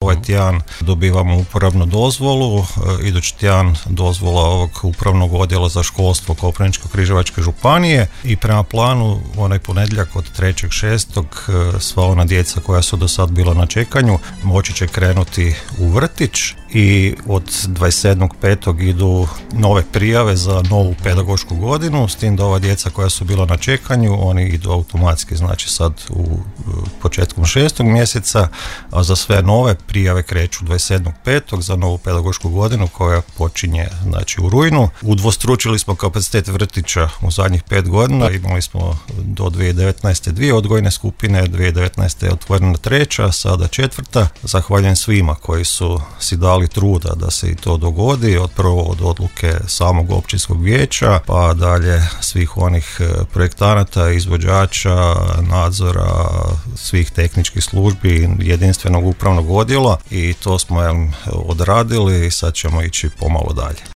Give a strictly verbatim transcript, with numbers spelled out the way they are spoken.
Ovaj tjedan dobivamo uporabnu dozvolu, idući tjedan dozvola ovog upravnog odjela za školstvo Koprivničko-križevačke županije i prema planu onaj ponedjeljak od trećeg šestog sva ona djeca koja su do sad bila na čekanju moći će krenuti u vrtić i od dvadeset sedmog petog idu nove prijave za novu pedagošku godinu, s tim da ova djeca koja su bila na čekanju oni idu automatski, znači sad u početkom šestog mjeseca, a za sve nove prijave kreću dvadeset sedmog petog za novu pedagošku godinu koja počinje znači u rujnu. Udvostručili smo kapacitet vrtića u zadnjih pet godina, imali smo do dvije tisuće devetnaeste dvije odgojne skupine, dvije tisuće devetnaeste je otvorena treća, sada četvrta. Zahvaljujem svima koji su si dali truda da se i to dogodi, od prvo od odluke samog općinskog vijeća, pa dalje svih onih projektanata, izvođača, nadzora, svih tehničkih službi, jedinstvenog upravnog odjela i to smo jel, odradili i sad ćemo ići pomalo dalje.